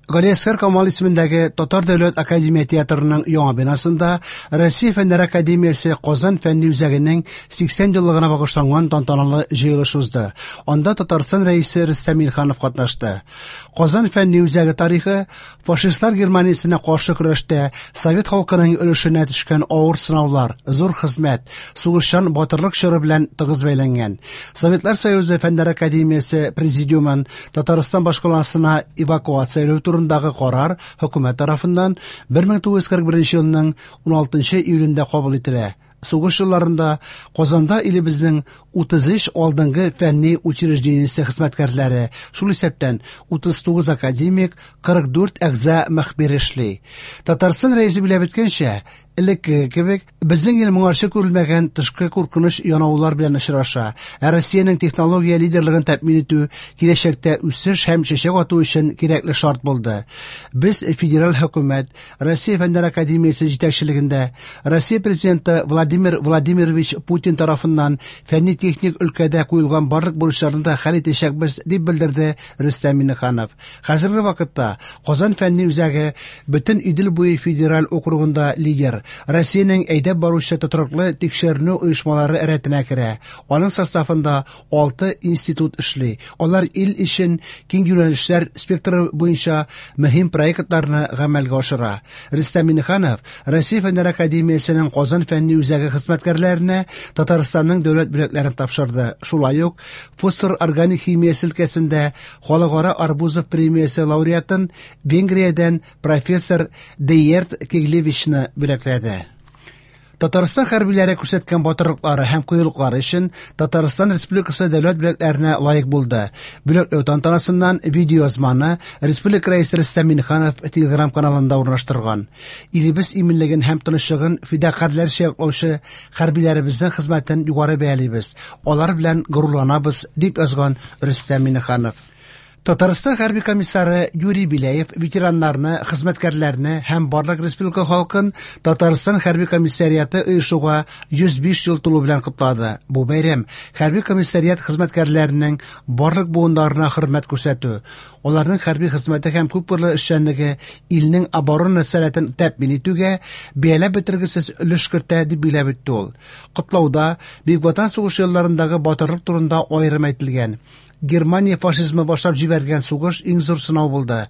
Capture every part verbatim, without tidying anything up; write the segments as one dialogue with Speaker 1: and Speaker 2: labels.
Speaker 1: Галиәсгар Камал исемендәге Татар дәүләт академия театрының яңа бинасында Россия Фәннәр академиясе Казан фәнни үзәгенең сиксән еллыгына багышланган тантаналы җыелыш узды. Анда Татарстан Рәисе Рөстәм Миңнеханов катнашты. Казан фәнни үзәге тарихы фашистлар Германиясенә каршы көрәштә совет халкының өлешенә төшкән авыр сынаулар, зур хезмәт, сугышчан батырлык чоры белән тыгыз бәйләнгән. Советлар Союзы Фәннәр академиясе президиумын Татарстан башкаласына эвакуацияләү турындагы карар хөкүмәт тарафыннан бер мең тугыз йөз кырык беренче елның уналтынчы июлендә кабул ителә. Сугыш елларында Казанда илебезнең утыз өч алдынгы фәнни учреждениесе хезмәткәрләре, шул исәптән утыз тугыз академик, кырык дүрт әгъза мөхбир эшли. Татарстан рәисе билгеләп үткәнчә, элеккеге кебек, безнең ил моңарчы күрелмәгән тышкы куркыныч янаулар белән очраша. Ә Россиянең технология лидерлыгын тәэмин итү киләчәктә үсеш һәм чәчәк ату өчен кирәкле шарт булды. Без федераль хөкүмәт, Россия Фәннәр академиясе җитәкчелегендә Россия президенты Владимир Владимирович Путин тарафыннан фәнни-техник өлкәдә куелган барлык бурычларны да хәл итәчәкбез, дип белдерде Рөстәм Миңнеханов. Хәзерге вакытта Казан фәнни үзәге бөтен Идел буе федераль округында лидер, Россиянең әйдәп баручы тотрыклы тикшеренү оешмалары рәтенә керә. Аның составында алты институт эшли. Алар ил өчен киң юнәлешләр спектры буенча мөһим проектларны гамәлгә ашыра. Рөстәм Миңнеханов Россия Фәннәр академиясенең Казан фәнни үзәге хезмәткәрләренә Татарстанның дәүләт бүләкләрен тапшырды. Шулай ук фосфор органик химиясе өлкәсендә Халыкара Арбузов премиясе лауреатын Венгриядән профессор Дейерт Кеглевичны бүләкләде. Татарстан хәрбиләре күрсәткән батырлыклары һәм кыюлыклары өчен Татарстан Республикасы дәүләт бүләкләренә лаек булды. Бүләкләү тантанасыннан видеоязманы Республика Рәисе Рөстәм Миңнеханов Телеграм каналында урнаштырган. Илебез иминлеген һәм тынычлыгын фидакарьләрчә яклаучы хәрбиләребезнең хезмәтен югары бәялибез. Алар белән горурланабыз, дип язган Рөстәм Миңнеханов. Татарстан хәрби комиссары Юрий Беляев ветераннарны, хезмәткәрләрне һәм барлык республика халкын Татарстан хәрби комиссариаты оешуга йөз биш ел тулу белән котлады. Бу бәйрәм хәрби комиссариат хезмәткәрләренең барлык буыннарына хөрмәт күрсәтү, аларның хәрби хезмәте һәм күпкырлы эшчәнлеге илнең оборона сәләтен тәэмин итүгә бәяләп бетергесез өлеш кертә, дип билгеләп үтте ул. Котлауда Бөек Ватан сугышы елларындагы батырлык турында аерым әйтелгән. Германия фашизмы башлап җибәргән сугыш иң зур сынау булды.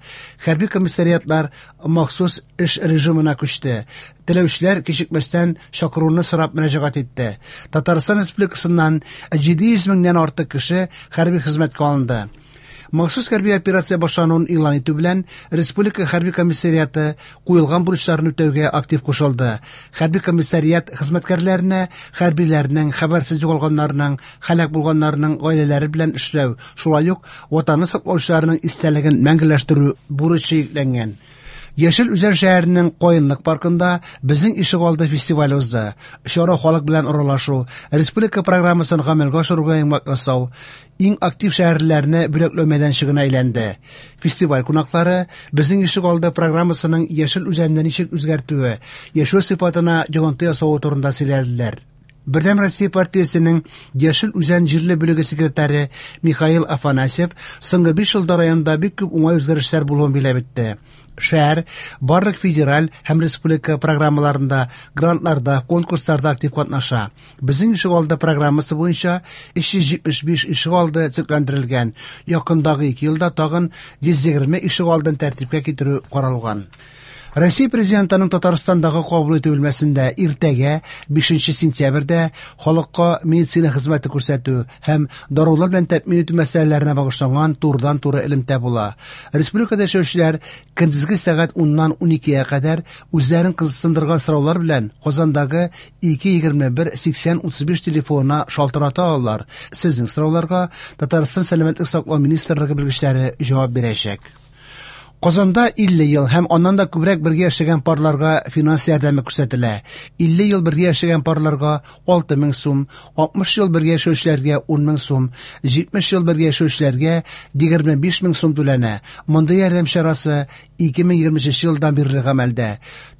Speaker 1: Хәрби комиссариатлар махсус эш режимына күчте. Теләүчеләр кичекмәстән чакыруны сорап мөрәҗәгать итте. Татарстан Республикасыннан җиде йөз меңнән артык кеше хәрби хезмәткә алынды. Махсус хәрби операция башлануын игълан итү белән Республика хәрби комиссариаты куелган бурычларны үтәүгә актив кушылды. Хәрби комиссариат хезмәткәрләренә хәрбиләрнең, хәбәрсез югалганнарның, һәлак булганнарның гаиләләре белән эшләү, шулай ук ватанны саклаучыларның истәлеген мәңгеләштерү бурычы йөкләнгән. Яшел Үзән шәһәренең Каенлык паркында Безнең ишегалды фестивале узды. Чара халык белән аралашу, республика программасын гамәлгә ашыруга йомгак ясау, иң актив шәһәрләрне бүләкләү мәйданчыгына әйләнде. Фестиваль кунаклары Безнең ишегалды программасының Яшел Үзәнне ничек үзгәртүе, яшәү сыйфатына йогынты ясавы турында сөйләделәр. Бердәм Россия партиясенең Яшел Үзән җирле бүлеге секретаре Михаил Афанасьев соңгы биш елда районда бик күп уңай үзгәрешләр булуын билгеләп үтте. Шәһәр барлык федераль һәм республика программаларында, грантларда, конкурсларда актив катнаша. Безнең ишегалды программасы буенча өч йөз җитмеш биш ишегалды төзекләндерелгән. Якындагы ике елда тагын йөз егерме ишегалдын тәртипкә китерү каралган. Россия президентының Татарстандагы кабул итү бүлмәсендә иртәгә бишенче сентябрьдә халыкка медицина хезмәте күрсәтү һәм дарулар белән тәэмин итү мәсьәләләренә багышланган турыдан-туры элемтә була. Республикада яшәүчеләр көндезге сәгать уннан уникегә кадәр үзләрен кызыксындырган сораулар белән Казандагы ике егерме бер сиксән утыз биш телефонына шалтырата алалар. Сезнең сорауларга Татарстан Сәламәтлек саклау министрлыгы белгечләре җавап бирәчәк. Казанда илле ел һәм аннан да күбрәк бергә яшәгән парларга финанс ярдәме күрсәтелә. Илле ел бергә яшәгән парларга алты мең сум, алтмыш ел бергә яшәүчеләргә ун мең сум, җитмеш ел бергә яшәүчеләргә егерме биш мең сум түләнә. Мондый ярдәм чарасы ике мең егерме өченче елдан бирле гамәлдә.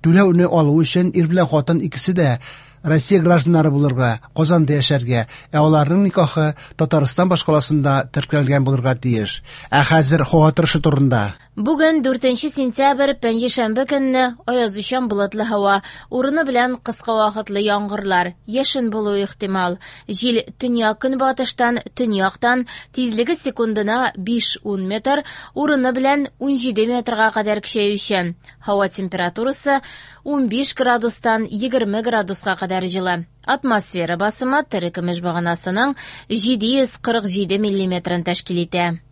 Speaker 1: Түләүне алу өчен ир белән хатын икесе дә Россия гражданнары булырга, Казанда яшәргә, ә аларның никахы Татарстан башкаласында теркәлгән булырга тиеш. Ә хәзер һава торышы турында.
Speaker 2: Бүген дүртенче сентябрь, пәнҗешәмбе көнне аязучан болытлы һава, урыны белән кыска вакытлы яңгырлар, яшен булуы ихтимал. Җил төньяк-көнбатыштан, төньяктан, тизлеге секундына биш-ун метр, урыны белән унҗиде метрга кадәр көчәючән. Һава температурасы унбиш градустан егерме градуска кадәр җылы. Атмосфера басымы терекөмеш баганасының җиде йөз кырык җиде миллиметрын тәшкил итә.